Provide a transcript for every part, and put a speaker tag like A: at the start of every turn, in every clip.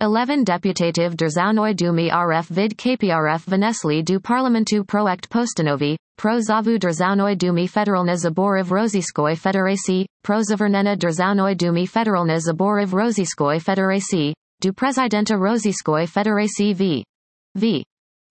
A: 11 Deputativ Državnoj Dumy RF vid KPRF Vnesli do Parlamentu projekt Postanovi, pro zavu Državnoj Dumy Federalna Zaborov Rossijskoj Federacji, pro zavrnena Državnoj Dumy Federalna Zaborov Rossijskoj Federacji, do Prezidenta Rossijskoj Federacji v.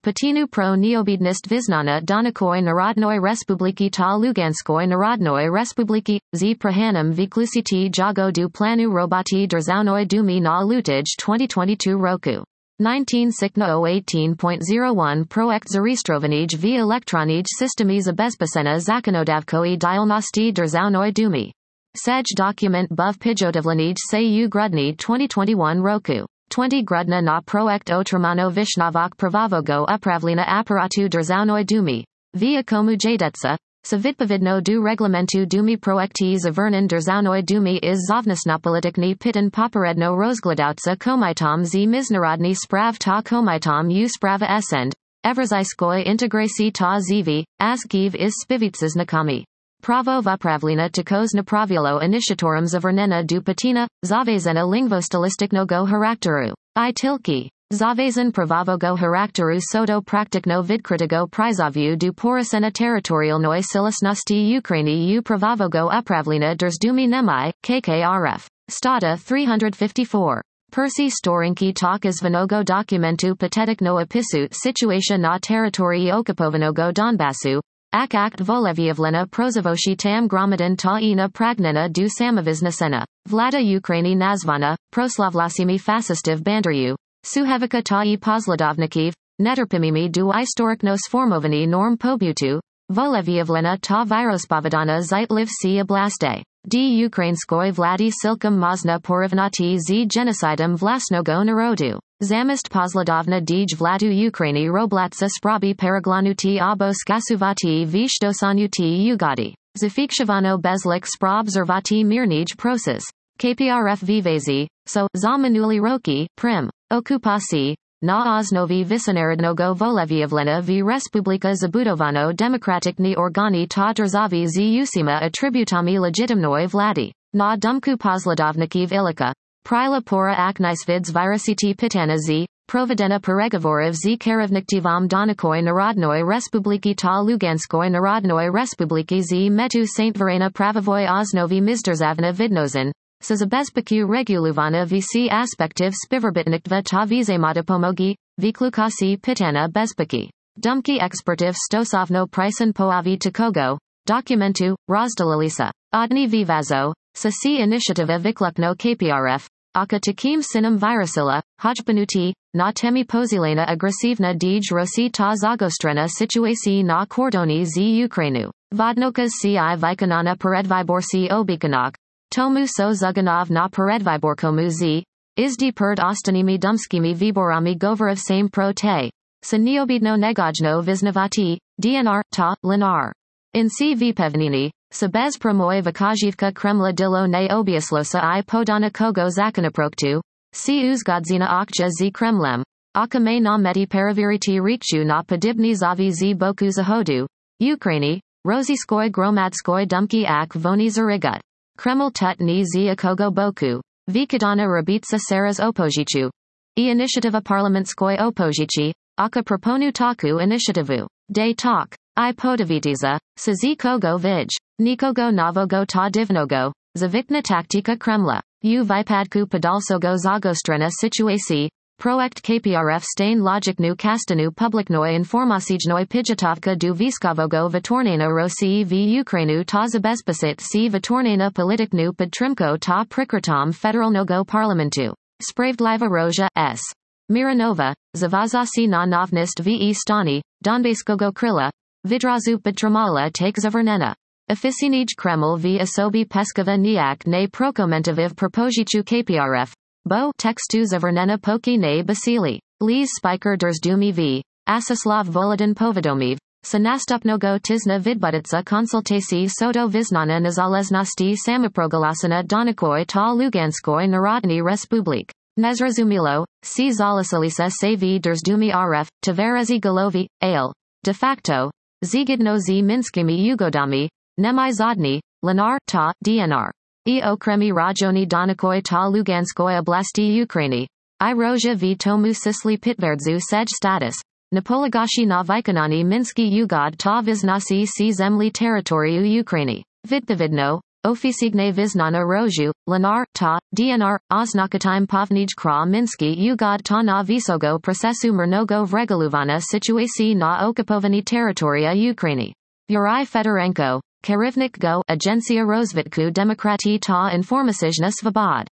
A: Patinu pro neobednost vyznana Donakoj Narodnoj Respubliki ta Luganskoj Narodnoj Respubliki, z prahanam vyklusiti jago du planu roboti Državnoj Dumy na lutage 2022 roku. 19 Sikna 018.01 Projekt zarejestrovanij v elektronij systemi zabezpečena zakonodavkoj dialnosti Državnoj Dumy. Sej document buv pijotavlanij se u grudni 2021 roku. 20 Grudna na projekt otramano Vishnavok Pravavogo Upravlina Aparatu Državnoj Dumy. Via komu jadetsa, sa vidpovidno du reglamentu Dumy projekti zavrnen Državnoj Dumy iz zovnostnopolitikni pitan poperedno rozgledouca komitom z miznarodni sprav ta komitom u sprava esend, Evrazijskoj integraci ta zivi, azgiv iz spivitsa znakami. Pravo vupravlina takos napravilo initiatorum zavrnena du patina, zavezena lingvostylistiknogo harakteru. I tilki. Zavezan pravavogo harakteru soto praktikno vidkritigo prizovu du porosena territorialnoj silasnosti Ukraini u pravavogo upravlina Drždumy Nemai, KKRF. Stata 354. Persi storinki tak izvanogo dokumentu patetikno opisu situatia na teritorii okupovanого Donbasu, akt volevyevlena prozavoshi tam gromadin ta ina pragnena du samaviznesena, vlada Ukraini nazvana, proslavlasimi fasistiv banderyu, suhevika ta I posladovnikiv, neterpimimi du istorikno sformovani norm pobutu, volevyevlena ta virospovedana zitliv si oblaste. D. Ukrainskoj vladi silkom mazna porivnati z genocidem vlasnogo narodu. Zamist posladovna dij vladu Ukraini roblatsa sprabi peraglanuti abo skasuvati vishtosanuti ugadi. Zafikshivano bezlik sprab zervati mirnij proces. KPRF vivazi, so, za minuli roki, prim. Okupasi, na osnovi visonarodnogo volevyevlena v Respublika Zabudovano demokratikni organi ta državi z usima atributami legitimnoj vladi. Na dumku posladovnikiv ilika. Prila pora aknisvids virusiti pitana z, provedena peregovorov z kerevniktivom Donakoj Narodnoj Respubliki ta Luganskoj Narodnoj Respubliki z metu Saint Verena pravovoj osnovi mizdržavna vidnozen, sa zabezpeku regulovana vc aspektiv spiverbitniktva ta vizemata pomogi, vyklukasi pitana bezpeki. Dumki expertiv stosovno prisen poavi takogo, dokumentu, rozdalalisa. Odni vivazo, sa si initiativa vyklukno KPRF, aka takim sinem virusila, hojbanuti, na temi pozilena agresivna dij rosi ta zagostrena situaci na kordoni z Ukrainu. Vodnokas ci vykonana peredviborsi obikanok, tomu so zuganov na peredviborkomu z, izdi perd ostanimi dumskimi viborami govorov same pro te. Sa neobidno negojno vyznavati, DNR, ta, linar. In si vipevnini, sa bez promoj vakajivka Kremla dilo ne obiaslosa I podana kogo zakonoproktu, si uzgodzina okja z Kremlem, aka me na meti paraviriti rikchu na podibni zavi z boku zahodu, Ukraini, Rossijskoj gromadskoj dumki ak voni zarigut. Kreml tut ni z akogo boku, vikadana rabitsa saras opozichu. I initiativa parlamentskoj opozici, aka proponu taku initiativu. Day talk. I podavitiza, sa z kogo vij. Nikogo novogo ta divnogo, zavikna taktika Kremla. U vypadku podalsogo zagostrena situaci, projekt KPRF stain logiknu kastanu publiknoj informacijnoj pijatovka du viskovogo vitornena Rosiji v Ukrainu ta zabezpečit si vitornena politiknu podtrimko ta prikritom federalnogo parlamentu. Spravdliva Roja S. Miranova, zavazasi na novnist v stani, Donbaskogo krila, vidrazu podtrimala take zavernena. Oficinij Kreml v osobi peskova nijak ne prokomentiviv propozichu KPRF. Bo textu zavernena poki ne basili. Liz Spiker Drždumy v. Asislav Volodin Povedomiv. Sa nastupnogo tizna vidbuditsa konsultaci soto viznana nezaleznosti samaprogalasana Donakoj ta Luganskoj Narodni Respublik. Nezrazumilo, si zalasalisa se v Drždumy RF, Tverezi Golovi, ale. De facto. Zigidno z Minskimi Ugodami. Nemai Zodny, Linar, ta, DNR. I okremi rajoni Donakoj ta Luganskoj oblasti Ukraini. I rozia v tomu sisli pitverdzu sej status. Napolegashi na vykonani Minsky ugod ta vyznasi si zemli teritoriu Ukrainy. Vidno, oficigne vyznana roju, Lenar, ta, DNR, oznakatime povnij kra Minsky ugod ta na visogo procesu mrnogo vreguluvana situaci na okupovani teritoria Ukrainy. Yuri Fedorenko, Kerivnik go, Agencia Rozvitku Demokratii ta Informacijna Svobod.